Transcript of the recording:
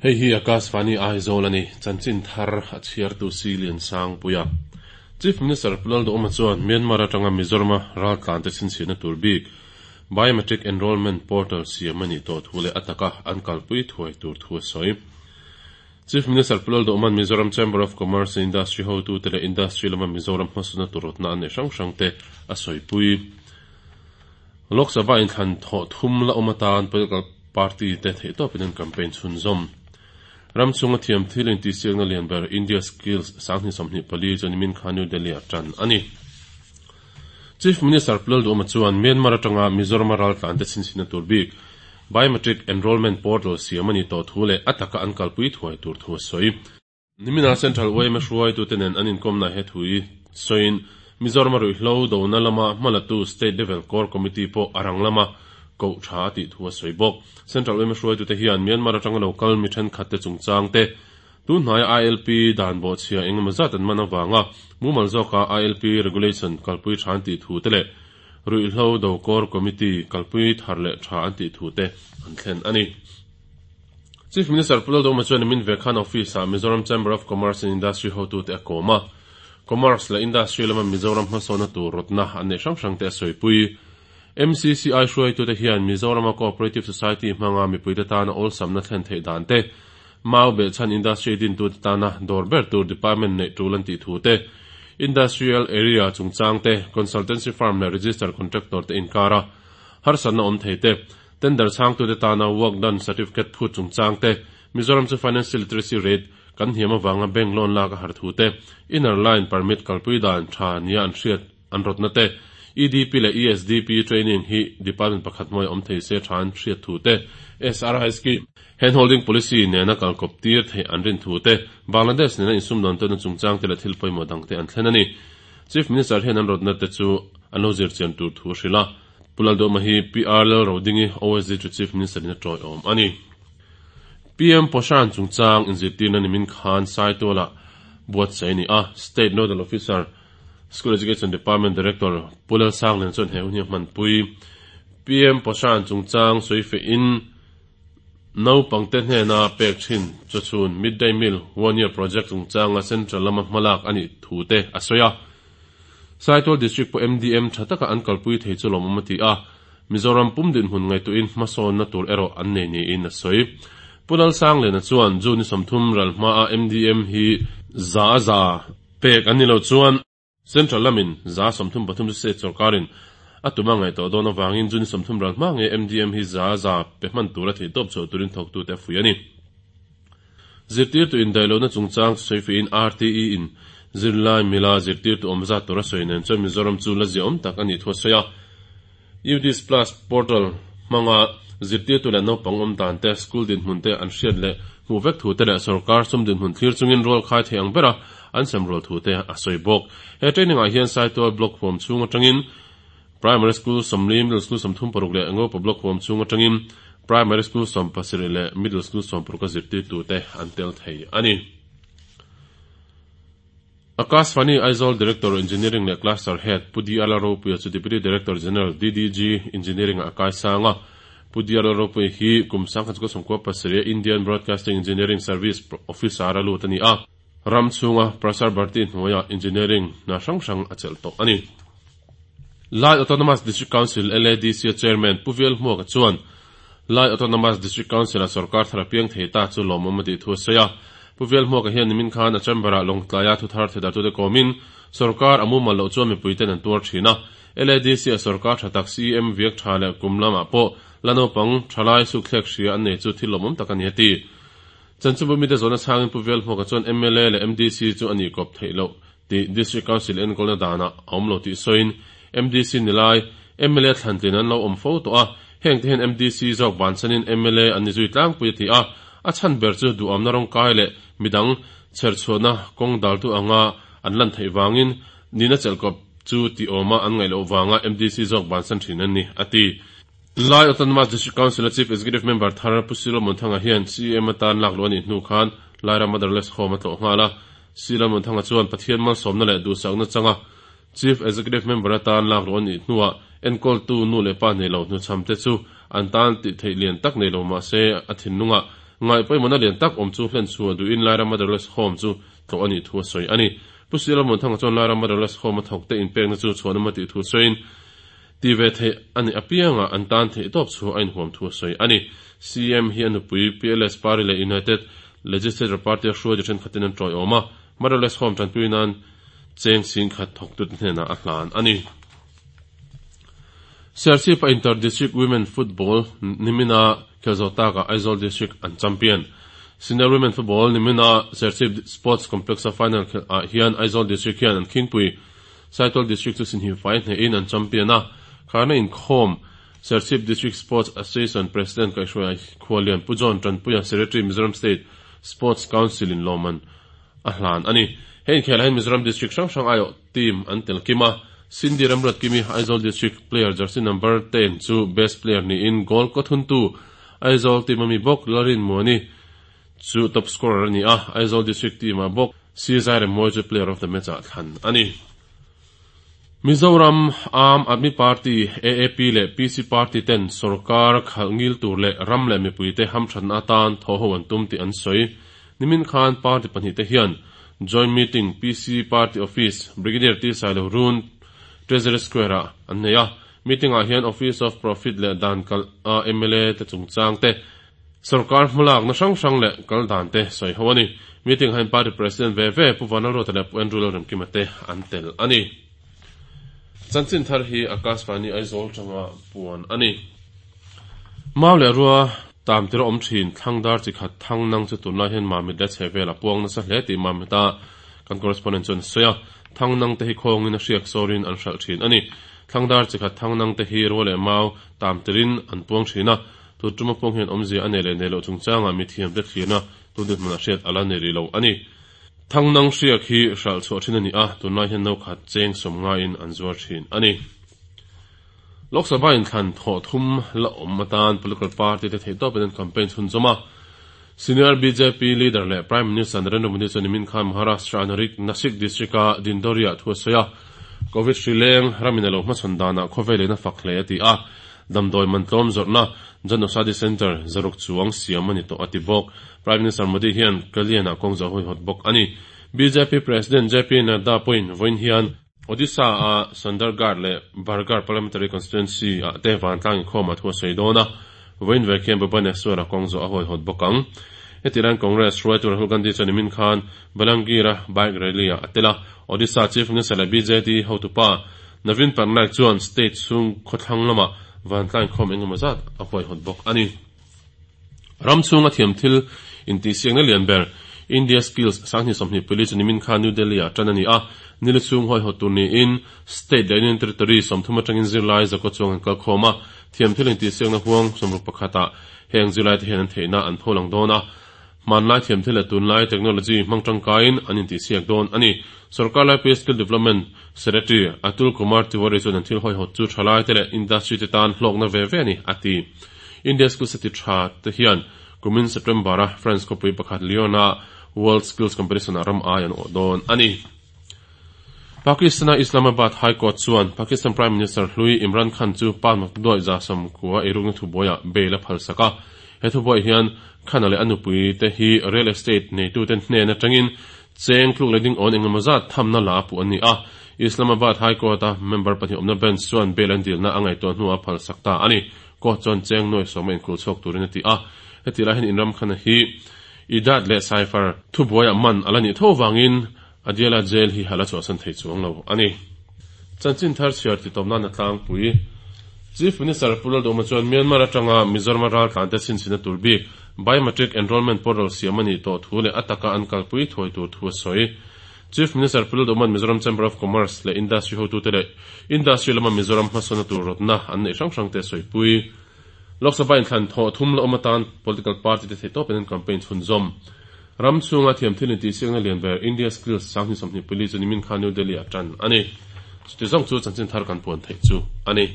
Hei hi Akashvani Aizawl a ni, chanchin thar a chhiartu Si Liansangpuia. Chief Minister Pu Lalduhawma chuan Myanmar atanga Mizorama raltlante chhinchhiahna tur bik Biometric Enrolment Portal siam a nih tawh thu leh a taka an kalpui thuai tur thu a sawi. Chief Minister Pu Lalduhawma'n Mizoram Chamber of Commerce and Industry hotute leh Industry lama Mizoram hmasawnna tur rawtna an neih hrang hrangte a sawipui. Lok Sabha inthlan thawh thum la awm atan political party te theihtawpin an campaign chhunzawm. Ram chhunga thiam thil intihsiakna lian ber India Skills 2024 chu nimin khan New Delhi ah tan a ni. Chief Minister Pu Lalduhawma chuan Myanmar atanga Mizorama raltlante chhinchhinna tur bik Biometric Enrolment Portal siam a nih tawh thu leh a taka an kalpui thuai tur thu a sawi. Nimina Central yma hruaitute nen an inkawmna he thu hi sawiin Mizorama ruihhlo dona lama hmalatu State Level Core Committee pawh a rang lama koh tha a tih thu a sawi bawk. Central yma hruaitute hian Myanmar atanga lo kal mi thenkhatte chungchang te, tun hnaia ILP dan bawhchhia engemaw zat an man avanga mumal zawka ILP Regulation kalpui tha an tih thu te leh ruihhlo do Core Committee kalpui thar leh tha an tih thu te an thlen a ni. Chief Minister Pu Lalduhawma chuan nimin ve khan office-ah Mizoram Chamber of Commerce and Industry hotute a kawm a. Commerce leh Industry lama Mizoram hmasawnna tur rawtna an neih hrang hrangte a sawipui. MCCI hruaitute hian Mizorama Cooperative Society hmanga mipuite tana awlsamna thlen theih dan te, mau behchhan industry dintute tana dawr ber tur department neih tul an tih thu te, Industrial Area chungchang te, Consultancy Firm leh Register Contractor te inkara harsatna awm thei te, Tender chhangtute tana work done certificate phut chungchang te, Mizoram chu financial literacy rate kan hniam avanga bank loan lak a har thu te, inner line permit kalpui dan tha nia an hriat an rawtna te, EDP leh ESDP training hi department pakhat hnuai awm thei se tha an hriat thu te, SRI scheme, hand holding policy nena kalkawp tir theih an rin thu te, Bangladesh nena insumdawn tawnna chungchang te leh thil pawimawh dangte an thlen a ni. Chief Minister hian an rawtna te chu an lo zirchian tur thu a hrilh a. Pu Lalduhma hi PR Lalrodingi OSD chu Chief Minister in a tawiawm a ni. PM Poshan chungchang inzirtirna nimin khan Saitualah buatsaih a ni a, State Nodal Officer, School Education Department Director Pu Lalsanglian chuan he hun hi a hmanpui. PM Poshan chungchang sawifiahin naupangte hnena pek thin chawchhun Mid-Day Meal One Year Project chungchanga Central lama hmalak a nih thu te a sawi a. Saitual District pawh MDM tha taka an kalpui thei chu lawmawm a ti a, Mizoram pum dinhmun ngaihtuahin hmasawnna tur erawh an nei niin a sawi. Pu Lalsangliana chuan June ni 30 ral hmaa MDM hi za a za pek an ni lo chuan Central lamin 33% chu state sorkarin a tum a ngaihtuah dawn avangin June ni 30 ral hma ngei MDM hi za a za pe hman tura theihtawp chhuah turin thawktute a fuih a ni. Zirtirtu indaihlohna chungchang chu sawifiahin RTE in zirlai mila zirtirtu awm zat tur a sawi nen chuan Mizoram chu la ziaawm tak a nih thu a sawi a. UDIS Plus portal hmanga zirtirtu leh naupang awm dan te, school dinhmun te an hriat leh hmuh vek thu te leh sorkar sum dinhmun thlir chungin rual khai thei ang bera an sem rual thu te a sawi bawk. He training ah hian Saitual Block huam chhung atangin Primary School 40, Middle School 36 leh Ngopa Block huam chhung atangin Primary School 17 leh Middle School 60 a zirtirtute an tel thei a ni. Akashvani Aizawl Director Engineering leh Cluster Head Pu DR Lalropuia chu Deputy Director General, DDG, Engineering ah a kaisang a. Pu DR Lalropuia hi kum 1997 a Indian Broadcasting Engineering Service Officer a lut a ni a. Ram chhunga Prasar Bharti hnuaiah Engineering hna hrang hrang a chelh tawh a ni. Lai Autonomous District Council, LADC, a Chairman Pu Vial Hmuaka chuan Lai Autonomous District Council-a sorkar thar a piang thei ta chu lawmawm a tih thu a sawi a. Pu Vial Hmuaka hian nimin khan a chamber-ah Lawngtlaia thuthar thedartute kawmin sorkar a mumal loh chuan mipuiten an tuar thin a. LADC-a sorkar tha tak CM viak tha leh kum lamah pawh la naupang thalai sukthlek hria an nei chu thil lawmawm tak a ni a ti. Chanchinbu mite zawhna chhangin Pu Vial Hmuaka chuan mla leh MDC chu a nih kawp theih loh tih District Council enkawlna danah a awm lo tih sawiin MDC ni lai mla thlantlin an lo awm fo tawh a, hengte hian MDC zawk bansanin mla an ni zui tlangpui a ti a, a chhan ber chu duhamna rawngkai leh midang chherchhuahna kawng daltu anga an lan theih vangin nihna chelhkawp chu tih awma an ngaih loh vanga MDC zawk bansan thin an ni, a ti. Lai Autonomous District Council-a Chief Executive Member thar Pu Silo Munthanga hian CEM atan lak luh a nih hnu khan Lairam Motherless Home a tlawh nghal a. Silo Munthanga chuan Pathian malsawmna leh duhsakna changa Chief Executive Member atan lak luh a nih hnuah enkawltu nu leh pa nei lo hnuchhamte chu an tan tih theih lian tak nei lo mah se a thinlungah. Ngaih pawimawhna lian tak awm chu hlen chhuah duhin Lairam Motherless Home chu tlawh a nih thu a sawi a ni. Pu C Lalmuanthanga chuan Lairam Motherless Home a thawkte inpekna chu chhuanawm a tih thu sawiin, ti ve theih a nih apianga an tan theih tawp chu a inhuam thu a sawi a ni. CM hi a nupui PLS Party leh United Legislature Party a hruaitu thenkhatin an tawiawm a, Motherless Home tanpui nan cheng singkhat thawktute hnenah a hlan a ni. Serchhip-a Inter District Women Football nimina khel zawh takah Aizawl District an champion. Senior Women Football nimina Serchhip Sports Complex-a final khelh ah hian Aizawl District hian an khingpui Saitual District chu sinhimfai hnehin an champion a, kharna inkhawm Serchhip District Sports Association President Kaihhruaia Khualian Pu John Tanpuia Secretary Mizoram State Sports Council in lawmman a hlan a ni. He inkhelah hian Mizoram District hrang hrang aiawh team an tel kim a, Cindy Ramruat Kimi Aizawl District player jersey number 10 chu best player niin goal kaw thuntu Aizawl team ami bawk Lalrin Muani chu top scorer a ni a, Aizawl District team ah bawk C Zairemmawi chu player of the match ah thlan a ni. Mizoram Aam Aadmi Party, AAP, leh PC Party ten sorkar khalh ngil tur leh ram leh mipuite hamthatna atan thawhho an tum tih an sawi. Nimin khan party pahnihte hian joint meeting PC Party Office, Brigadier T Sailo Run, Treasury Square ah an nei a. Meeting ah hian Office of Profit leh dan kalh a mla te chungchang te, Sorkar hmalakna hrang hrang leh kal dan te sawi ho a ni. Meeting ah hian Party President ve ve Pu Vanlalruata leh Pu Andrew Lalremkima te an tel a ni. Chanchin thar hi Akashvani Aizawl tanga puan a ni. Mau leh rua tam tir a awm thin thlang dar chi khat thang nang chu tunlai hian Mamit leh chhe vel a puang nasa hle tih Mamit a kan correspondent chuan a sawi a. Thang nang te hi khawngin a hriak sawrin an hralh thin a ni. Thlang dar chi khat thang nang te hi rua leh mau tam tirin an puang thin a. Tun tuma pawng hian awmzia a nei leh nei loh chungchangah mithiamte thlirna tun dinhmun a hriat a la ni rih lo a ni. Thangnang hriak hi hralh chhuah thin a ni a, tunlai hian no khat cheng sawm ngaiin an zuar thin a ni. Lok Sabha inthlan thawh thum la awm atan political party te theihtawpin an campaign chhunzawm a. Senior bjp leader leh Prime Minister Narendra Modi chuan nimin khan Maharashtra Narik Nashik district-a Dindori-ah thu a sawi a, Covid hri leng ramin a lo hmachhawn danah khawvel in a fak hle a ti a. Damdawi man tlawm zawrhna Jan Aushadhi Centre zaruk chuang siam a ni tawh a ti bawk. Prime Minister Modi hian Kalyan-ah kawng zawh huihawt bawk a ni. Bjp President JP Nadda pawhin vawiin hian Odisha-a Sundargarh leh Bargarh Parliamentary Constituency-ah te vantlang inkhawmah thu a sawi dawn a, vawiin vek hian Bhubaneswar-a kawng zawh a huaihawt bawk ang. Heti laiin Congress hruaitu Rahul Gandhi chuan nimin khan Balangir-a bike rally-ah a tel a, Odisha Chief Minister leh BJD hotupa Naveen Patnaik chuan state chhung khawthlang lamah vantlang inkhawm engemaw zat a huaihawt bawk a ni. Ram chhunga thiam thil intihsiakna lian ber India Skills 2024 chu nimin khan New Delhi-ah tan a ni a, nili chhung huaihawt tur niin state leh Union Territory 30 atangin zirlai zakaw chuang an kalkhawm a, thiam thil intihsiakna huang 61 ah heng zirlaite hian an theihna an pholang dawn a. Hmanlai thiam thil leh tunlai technology hmang tangkaiin an intihsiak dawn a ni. Sorkar laipui Skill Development Secretary Atul Kumar Tiwari chuan an thil hawihawt chu thalaite leh industry te tan hlawkna ve ve a ni, a ti. India Skills a ti tha te hian kumin September-a France khawpui pakhat Lyon-a World Skills Competition-ah ram ai an awh dawn a ni. Pakistan-a Islamabad High Court chuan Pakistan Prime Minister hlui Imran Khan chu pa makduai 90 eirukna thubuaiah bail a phalsak a. He thubuaiah hian Khan-a leh a nupui te hi real estate neitute hnen atangin cheng tluk leh ding awn engemaw zat thamna la a puh an ni a. Islamabad High Court-a member pahnih awmna bench chuan bail an dilna a ngaihtuah hnuah a phalsak ta a ni. Court chuan cheng nuai sawma inkulh chhuak turin a ti a. Heti lai hian Imran Khan-a hi Idat leh Cipher thubuaiah man a la nih tho vangin Adiala jail hi a la chhuahsan thei chuang lo a ni. Chanchin thar chhiar ti tawp nan a tlangpui. Chief Minister Pu Lalduhma chuan Myanmar atanga Mizorama raltlante chhinchhina tur bik Biometric Enrolment Portal siam a nih tawh thu leh a taka an kalpui thuai tur thu a sawi. Chief Minister Pu Lalduhma'n Mizoram Chamber of Commerce leh Industry hotute leh Industry lama Mizoram hmasawnna tur rawtna an neih hrang hrangte a sawipui. Lok Sabha inthlan thawh thum la awm atan political party te theihtawpin an campaign chhunzawm. Ram chhunga thiamthil intihsiakna lian ber India Skills 2024 chu nimin khan New Delhi ah tan a ni. Chuti zawng chu chanchin thar kan puan theih chu a ni.